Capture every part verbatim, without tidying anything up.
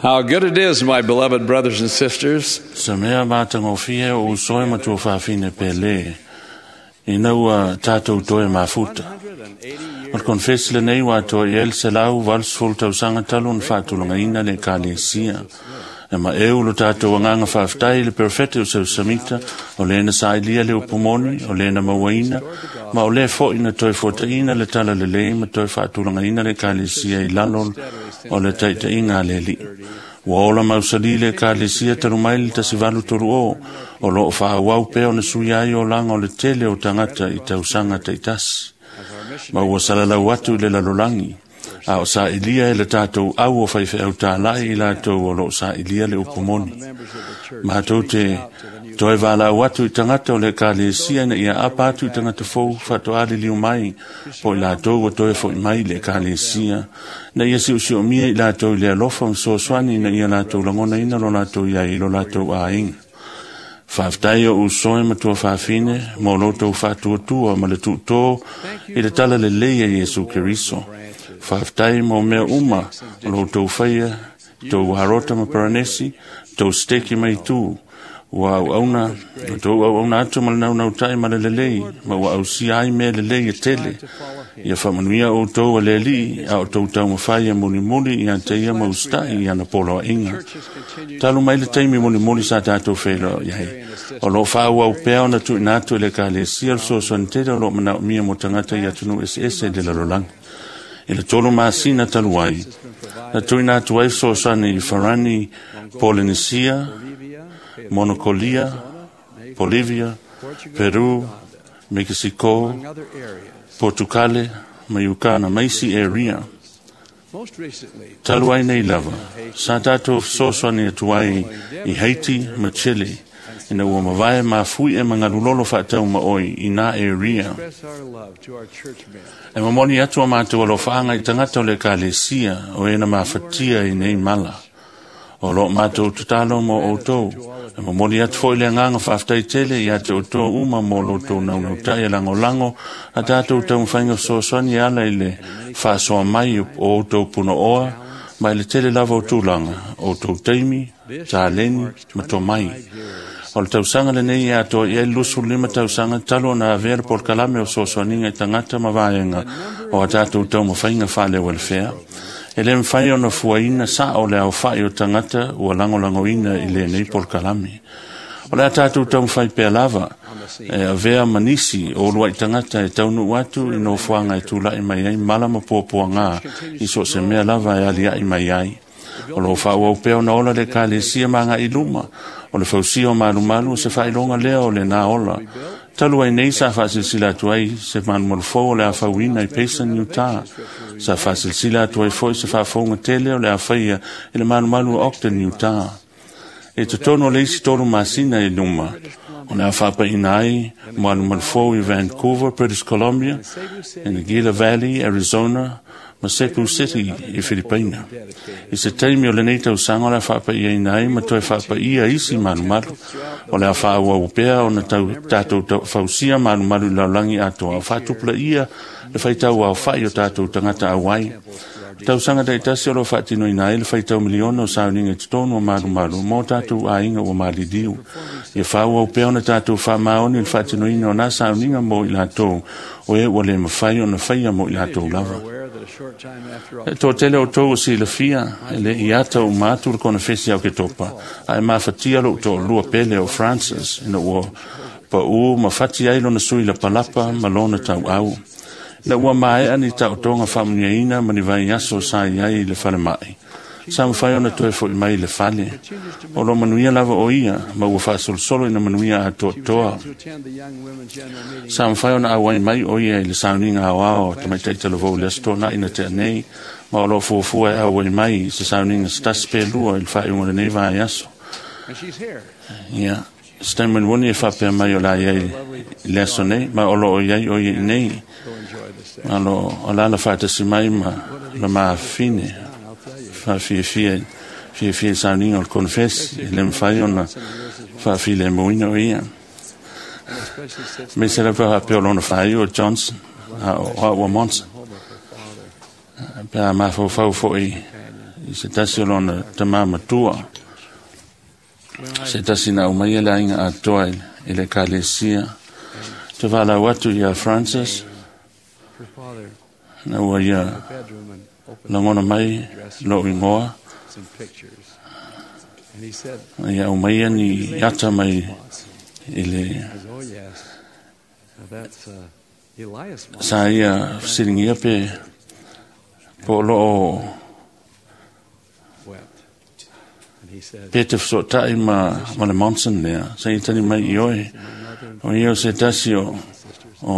How good it is, my beloved brothers and sisters, Sa mea matagofie o usoe matua fafine pele. Ina ua tātou toe mafuta. O le konfesi lenei ua atoa i ai le selau valusefulu tausaga talu ona faatulagaina le Ekalesia. E maeu lo tātou agaga faafetai i le perofeta o Seusamita, o le na sa'ilia le upu moni, o le na mauaina, ma o lē fo'i na toe fuataʻina le tala lelei ma toe faatulagaina le Ekalesia i lalo o le taʻitaʻiga a le Aliʻi. Ua ola mausali le Ekalesia talu mai le tasi valu tolu o, o loo faaauau pea ona suia ai olaga o le tele o tagata i tausaga taʻitasi. Ma ua salalau atu i le lalolagi, a o saʻilia e le tatou au o faifeau tālaʻi i latou o loo saʻilia le upu moni. Matou te toe valaau atu i tagata o le Ekalesia ina ia apa atu i tagata fou faatoa liliu mai po i latou ua toe foʻi mai i le Ekalesia, ina ia siusiumia i latou i le alofa ma fesoasoani ina ia latou lagonaina lo latou iai i lo latou aiga. Faafetai o usoe matua fafine mo lo tou faatuatua ma le tuutō i le tala lelei a Iesu Keriso. Faafetai mo mea uma o lo tou faia, tou harota ma paranesi, tou steki mai tu. Ua auauna, ua tou auauna atu ma le naunautai ma le lelei, ma ua ausia ai mea lelei e tele. Ia faamanuia outou e le Alii, a o tou taumafai e mulimuli ia te ia ma usitaʻi i ana poloaiga. Talu mai le taimi mulimuli sa tatou feiloai ai, o loo faaauau pea ona tuuina atu e le Ekalesia le fesoasoani tele o loo manaomia mo tagata i atunuu eseese i le lalolagi. I le tolu masina talu ai, na tuuina atu ai fesoasoani i Farani, Polynesia, Monokolia, Bolivia, Peru, Mexico, Portucale, ma Uganda, ma isi area. Talu ai nei lava, sa tātou fesoasoani atu ai i Haiti ma Chile, ina ua mavae mafui e magalulolo faatau ma oi i nā area. E momoli atu a matou alofaaga i tagata o le Ekalesia o e na mafatia i nei mala. O loo matou tatalo mo outou. E momoli atu foʻi le agaga faafetai tele ia te outou uma mo lo outou naunautai e lagolago a tatou taumafaiga fesoasoani e ala i le faasoa mai o outou punooa ma i le tele lava o tulaga, outou taimi, taleni ma tomai. O le tausaga lenei e atoa i ai le luasefulu lima tausaga talu ona avea le polokalame o fesoasoaniga i tagata ma vaega o a tatou taumafaiga faaleualefea. E le mafai ona fuaina saʻo le aofaʻi o tagata ua lagolagoina i lenei polokalame. O le a tatou taumafai pea lava e avea ma nisi o uluaʻi tagata e taunuu atu i nofoaga e tulaʻi mai ai mala ma puapuagā i so o se mea lava e aliaʻi mai ai. O loo faaauau pea ona ola le Ekalesia ma agaʻi luma o le fausia o malumalu o se faailoga lea o lenā ola. Talu ai nei sa faasilasila atu ai se malumalu fou o le a fauina i Payson, Utah. Sa faasilasila atu ai foʻi se faafouga tele o le a faia i le malumalu o Ogden, Utah. E totonu o le isi tolu masina i luma, o le a faapaʻina ai malumalu fou i Vancouver, British Columbia, i le Gila Valley, Arizona, ma Cebu City i Filipaina. I se taimi o lenei tausaga o le a faapaʻiaina ai ma toe faapaʻia isi malumalu. O le a faaauau pea ona tau, tatou tau, fausia malumalu i le lalolagi atoa, o faatupulaia le faitau aofaʻi o tatou tagata auai. Tausaga taʻitasi o loo faatinoina ai le faitau miliona o sauniga i totonu o malumalu mo tatou aiga ua maliliu. Ia faaauau pea ona tatou faamaoni i le faatinoina o nā sauniga mo i latou o e ua le mafai ona faia mo i latou lava. E toatele outou o silafia, e le i ata uma atu le konefesi a Oketopa, a e mafatia lou toalua pele o Francis, ina ua paʻū ma fati ai lona sui lapalapa ma lona tauau. Ina ua maeʻa ni taotoga faamanuiaina ma ni vaiaso sa i ai i le falemaʻi, sa mafai ona toe foʻi mai i le fale. O lo manuia lava o ia, ma ua faasolosolo ina manuia atoatoa. Sa mafai ona auai mai o ia i le sauniga aoao tamaitaʻi talavou i le aso Tonaʻi na tea nei, ma o loo fuafua e auai mai i se sauniga se tasi pe lua i le faaiuga o lenei vaiaso. Ia, se taimi mulimuli e faapea mai o le a iai i le aso nei, ma o loo iai o ia i nei. Malo o le ala faatasi mai ma le mafine faafiafia fiafia i sauniga o le konefesi, e le mafai ona faafilemuina o ia. Me se lava faapea o lona faaiu o Johnson, a o aua Monson. Pe a mafaufau foʻi i se tasi o lona tamā matua, se tasi na aumaia le aiga atoa i le ekalesia. Te valaau atu iā Francis, na ua ia lagona mai lo'u igoa, na ia aumaia ni ata mai i le sa ia fesiligia pe po o loo pe te fesoota'i ma, ma le Monson lea, sa ia tali mai i oe, o ia o se tasi o, o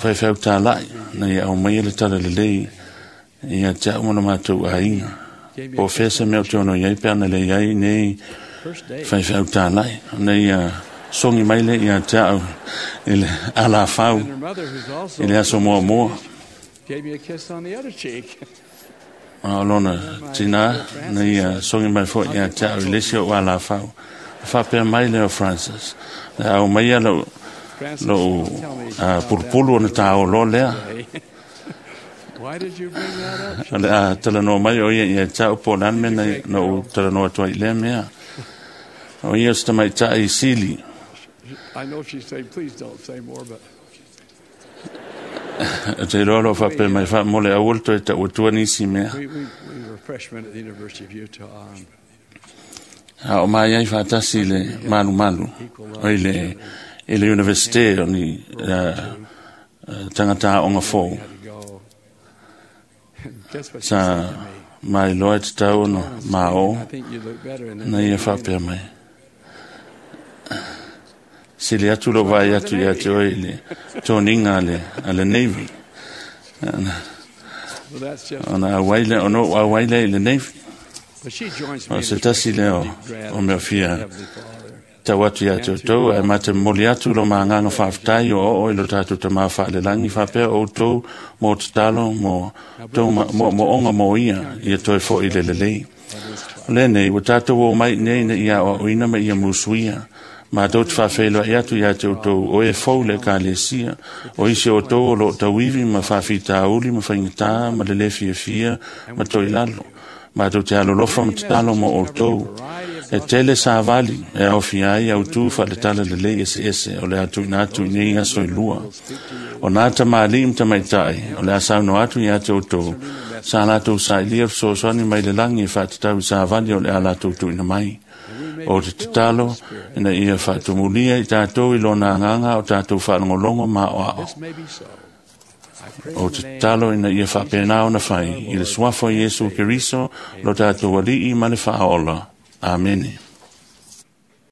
faifeau tāla'i, na ia aumaia le tala lelei ia te a'u ma le matou aiga. Po o fea se mea o te ono iai pe ana le iai nei faifeau tāla'i, na ia sogi mai le ia te a'u i le alafau i le aso muamua. A o lona tinā na ia sogi mai fo'i ia te a'u i le isi o'u alafau. Faapea mai lea o Francis, le aumaia lou lou pulupulu ona tāoloa lea. O le a talanoa mai o ia ia te a'u po o le a le mea na ou talanoa atu ai i lea mea. O ia o se tamaita'i sili. O te iloa lo faapea mai faamole aua le toe ta'uatua nisi mea. A o mai ai faatasi i le malumalu o i le i le universite o ni tagata aoga fou. Sa mailoa e tatau ona maō na ia faapea mai. Sili atu lou vaai atu ia te oe i le toniga a le, a le Navy. Ona auai lea, ona ou auai lea i le Navy. O se tasi lea o, o mea fia tau atu ia te outou, ae mate momoli atu lo magaga faafetai o oo i lo tatou tamā faalelagi, faapea outou mo tatalo mo tou moomooga mo ia, ia toe fo'i le lelei. O lenei, ua tatou o mai nei ina ia aoaoina ma ia musuia. Matou te faafeiloai atu ia te outou o e fou le ekalesia, o isi o outou o loo tauivi ma faafitauli ma faigata ma le lē fiafia ma toilalo. Matou te alolofa ma tatalo mo outou. E tele savali e aofia ai autū faaletala lelei eseese o le a tuuina atu i nei aso e lua. O nā tamalii ma tamaitai o le a saunoa atu ia te outou, sa latou sailia fesoasoani mai le lagi e faatatau i savali o le a latou tuuina mai. O te tatalo ina ia faatumulia i tatou i lona agaga o tatou faalogologo ma aoao. O te tatalo ina ia faapena ona fai i le suafa o Iesu Keriso lo tatou Alii ma le Faaola. Amene.